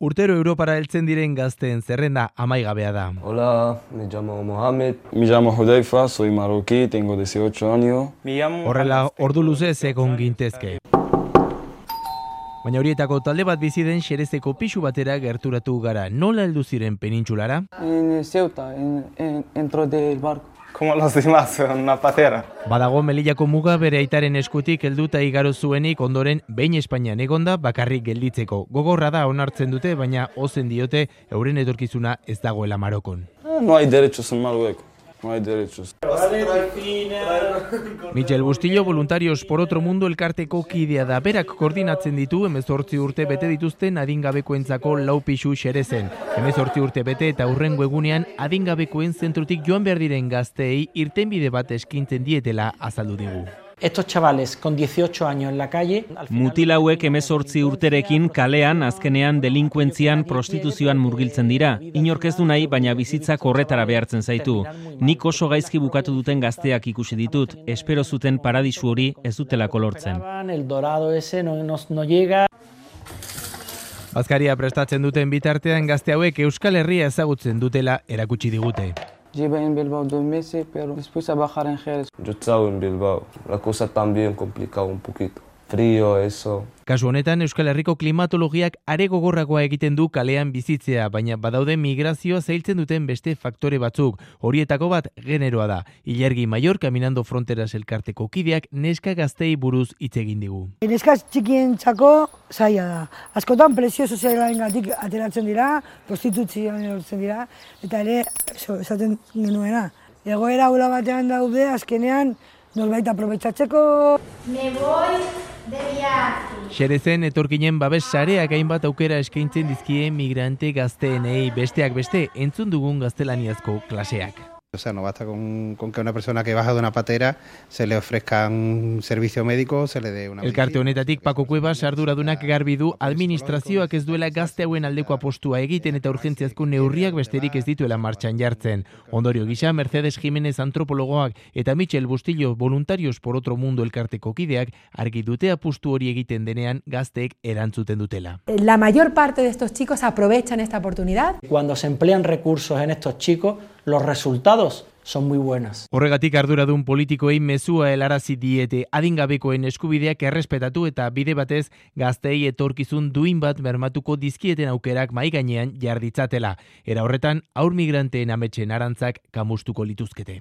Urtero Europara heltzen diren gazteen zerrenda amaigabea da. Hola, me llamo Mohamed. Me llamo Hudaifa, soy marroquí, tengo 18 años. Horrela, ordu luzez egon gintezke. Baina horietako talde bat bizi den Xerezeko pisu batera gerturatu gara. Nola heldu ziren penintsulara? En Ceuta, dentro del barco. Como los demás, una patera. Badago Melillako muga bere aitaren eskutik helduta igaro zuenik ondoren behin Espainian egonda bakarrik gelditzeko. Gogorra da onartzen dute, baina ozen diote euren etorkizuna ez dagoela Marokon. No hay derechos en Marruecos, no hay derechos. Michel Bustillo, Voluntarios por Otro Mundo elkarteko kidea da. Berak koordinatzen ditu 18 urte bete dituzten adingabekoentzako 4 pisu Xerezen. 18 urte bete eta hurrengo egunean adingabekoen zentrutik joan behar diren gazteei irtenbide bat eskintzen dietela azaldu digu. Estos chavales con 18 años en la calle... Mutil hauek 18 urterekin kalean azkenean delinkuentzian prostituzioan murgiltzen dira. Inork ez du nahi, baina bizitzak horretara behartzen zaitu. Nik oso gaizki bukatu duten gazteak ikusi ditut. Espero zuten paradisu hori ez dutelako lortzen. El dorado ese no llega... Bazkaria prestatzen duten bitartean gazte hauek Euskal Herria ezagutzen dutela erakutsi digute. Llevo en Bilbao 2 meses, pero después a bajar en Jerez. Yo estaba en Bilbao. La cosa también complicada un poquito. Frío, eso. Kasu honetan Euskal Herriko klimatologiak are gogorragoa egiten du kalean bizitzea, baina badaude migrazioa zailtzen duten beste faktore batzuk. Horietako bat generoa da. Ilargi Maior, Caminando Fronteras elkarteko kideak neska gaztei buruz hitz egin digu. Neska txikientzako zaila da. Askotan presio sozialarengatik ateratzen dira, prostituzioan erortzen dira, eta ere, esaten genuena. Egoera hula batean daude, azkenean, norbait aprobetxatzeko. Me voy de viaje. Xerezen etorkinen babes sareak hainbat aukera eskaintzen dizkie migrante gazteenei, besteak beste entzun dugun gaztelaniazko klaseak. O sea, no basta con que una persona que baja de una patera se le ofrezca un servicio médico, se le dé una... Elkarte honetatik Paco Cuevas arduradunak garbi du administrazioak ez duela gazte hauen aldeko apostua egiten eta urgentziazko neurriak besterik ez dituela martxan jartzen. Ondorio gisa, Mercedes Jiménez antropologoak eta Michel Bustillo Voluntarios por Otro Mundo elkarteko kideak argi dute apustu hori egiten denean gazteek erantzuten dutela. La mayor parte de estos chicos aprovechan esta oportunidad. Cuando se emplean recursos en estos chicos, los resultados son muy buenos. Horregatik arduradun politikoei mezua helarazi diete adingabekoen eskubideak errespetatu eta bide batez gazteei etorkizun duin bat bermatuko dizkieten aukerak mahai gainean jarditzatela. Era horretan, haur migranteen ametsen arantzak kamustuko lituzkete.